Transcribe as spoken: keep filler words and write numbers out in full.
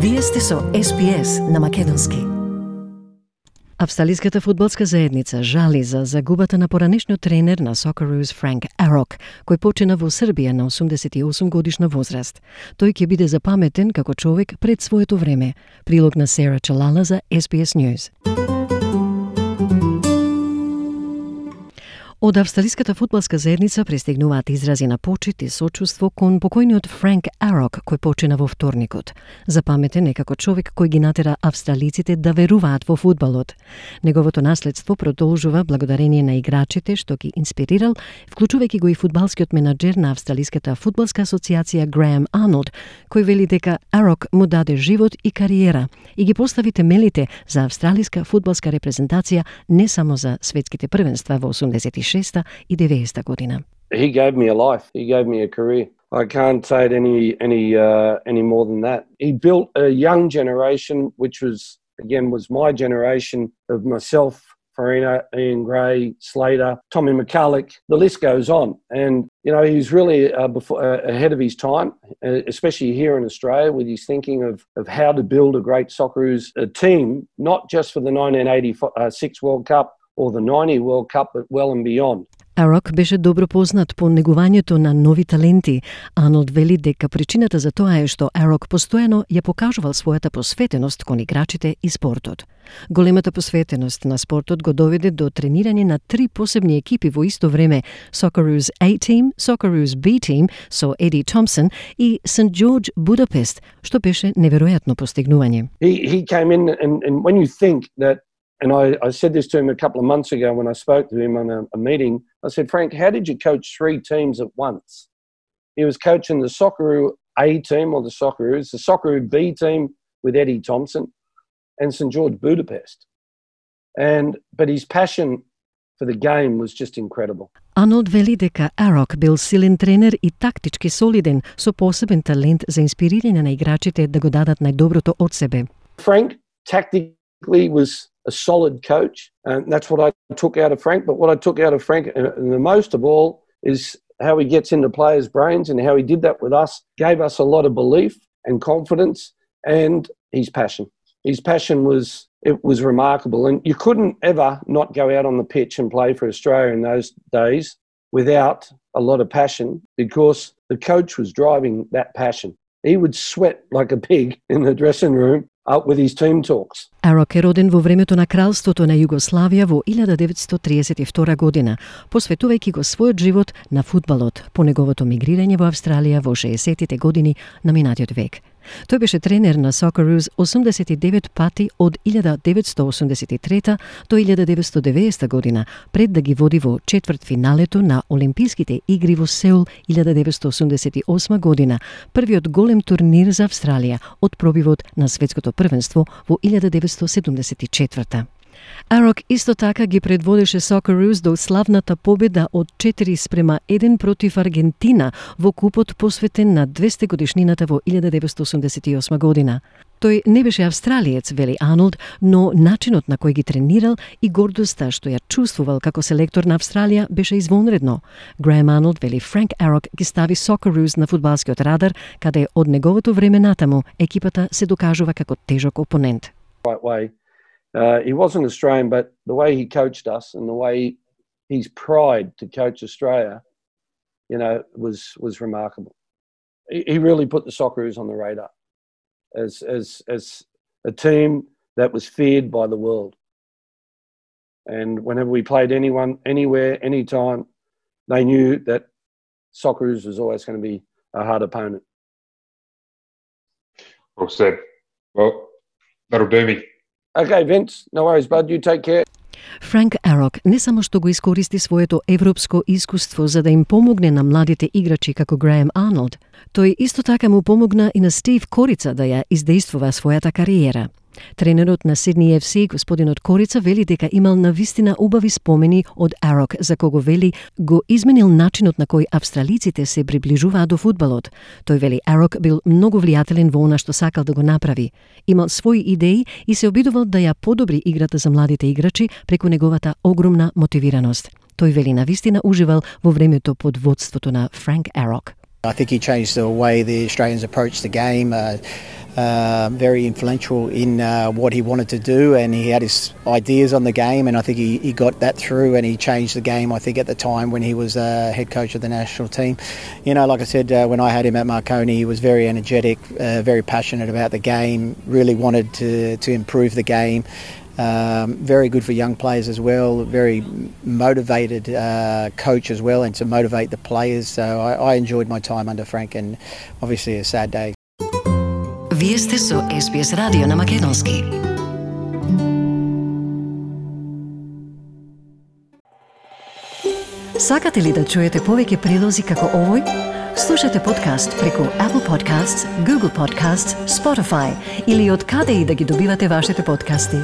Вие сте со Ес Би Ес на македонски. Австралиската фудбалска заедница жали за загубата на поранешниот тренер на Socceroos Франк Арок, кој почина во Србија на осумдесет и осум годишна возраст. Тој ќе биде запаметен како човек пред своето време. Прилог на Сера Чалала за Ес Би Ес News. Од Австралиската фудбалска заедница пристигнуваат изрази на почит и сочувство кон покојниот Франк Арок, кој почина во вторникот. Запаметен е како човек кој ги натера австралиците да веруваат во фудбалот. Неговото наследство продолжува благодарение на играчите што ги инспирирал, вклучувајќи го и фудбалскиот менаџер на Австралиската фудбалска асоциација Греем Арнолд, кој вели дека Арок му даде живот и кариера и ги постави темелите за австралиска фудбалска репрезентација не само за светските првенства во осумдесет и шеста и деветдесета година. He gave me a life. He gave me a career. I can't say it any any uh, any more than that. He built a young generation, which was again was my generation of myself, Farina, Ian Gray, Slater, Tommy McCulloch. The list goes on, and you know he's really uh, before, uh, ahead of his time, uh, especially here in Australia, with his thinking of of how to build a great Socceroos uh, team, not just for the nineteen eighty-six World Cup or the ninety World Cup, but well and beyond. Арок беше добро познат по негувањето на нови таленти. Арнолд вели дека причината за тоа е што Арок постојано ја покажувал својата посветеност кон играчите и спортот. Големата посветеност на спортот го доведе до тренирање на три посебни екипи во исто време: Socceroos A Team, Socceroos B Team со Еди Томпсон и Сент Джордж Будапест, што беше неверојатно постигнување. He he came in and and when you think that, and I, I said this to him a couple of months ago when I spoke to him on a, a meeting. I said, Frank, how did you coach three teams at once? He was coaching the Socceroo A team, or the Socceroos, the Socceroo B team with Eddie Thompson, and Saint George Budapest. And but his passion for the game was just incredible. Арнолд вели дека Арок бил силен тренер и тактички солиден, со посебен талент за инспирирање на играчите да го дадат најдоброто од себе. Frank tactically was a solid coach, and that's what I took out of Frank. But what I took out of Frank, and the most of all, is how he gets into players' brains and how he did that with us, gave us a lot of belief and confidence, and his passion. His passion was, it was remarkable, and you couldn't ever not go out on the pitch and play for Australia in those days without a lot of passion, because the coach was driving that passion. He would sweat like a pig in the dressing room out with his team talks. Арок е роден во времето на кралството на Југославија во илјада деветстотини триесет и втора година, посветувајќи го својот живот на фудбалот по неговото мигрирање во Австралија во шеесеттите години на минатиот век. Тој беше тренер на Socceroos осумдесет и девет пати од илјада деветстотини осумдесет и трета до илјада деветстотини и деветдесета година, пред да ги води во четвртфиналето на Олимписките игри во Сеул илјада деветстотини осумдесет и осма година, првиот голем турнир за Австралија од пробивот на светското првенство во илјада деветстотини седумдесет и четврта. Арок исто така ги предводеше Socceroos до славната победа од четири спрема еден против Аргентина во купот посветен на двесте годишнината во илјада деветстотини осумдесет и осма година. Тој не беше австралиец, вели Арнолд, но начинот на кој ги тренирал и гордоста што ја чувствувал како селектор на Австралија беше извонредно. Греем Арнолд вели Франк Арок ги стави Socceroos на фудбалскиот радар, каде од неговото време натаму екипата се докажува како тежок опонент. Right way. Uh, he wasn't Australian, but the way he coached us and the way his pride to coach Australia, you know, was was remarkable. He, he really put the Socceroos on the radar as as as a team that was feared by the world. And whenever we played anyone, anywhere, anytime, they knew that Socceroos was always going to be a hard opponent. Well said. Well, that'll do me. Okay, Vince, no worries, bud. You take care. Франк Арок не само што го искористи своето европско искуство за да им помогне на младите играчи како Греем Арнолд, тој исто така му помогна и на Стив Корица да ја издействува својата кариера. Тренерот на Сидни Еф Си, господинот Корица, вели дека имал навистина убави спомени од Арок, за кого вели го изменил начинот на кој австралиците се приближуваат до фудбалот. Тој вели Арок бил многу влијателен во она што сакал да го направи. Имал своји идеи и се обидувал да ја подобри играта за младите играчи преку неговата огромна мотивираност. Тој вели навистина уживал во времето под водството на Франк Арок. I think he changed the way the Australians approached the game. Uh, uh, very influential in uh, what he wanted to do, and he had his ideas on the game, and I think he, he got that through, and he changed the game, I think, at the time when he was uh, head coach of the national team. You know, like I said, uh, when I had him at Marconi, he was very energetic, uh, very passionate about the game, really wanted to, to improve the game. Um, very good for young players as well, very motivated uh, coach as well, and to motivate the players. So I, I enjoyed my time under Frank, and obviously a sad day. Вие сте со Ес Би Ес радио на македонски. Сакате ли да чуете повеќе прилози како овој? Слушате подкаст преку Apple Podcasts, Google Podcasts, Spotify или од каде и да ги добивате вашите подкасти.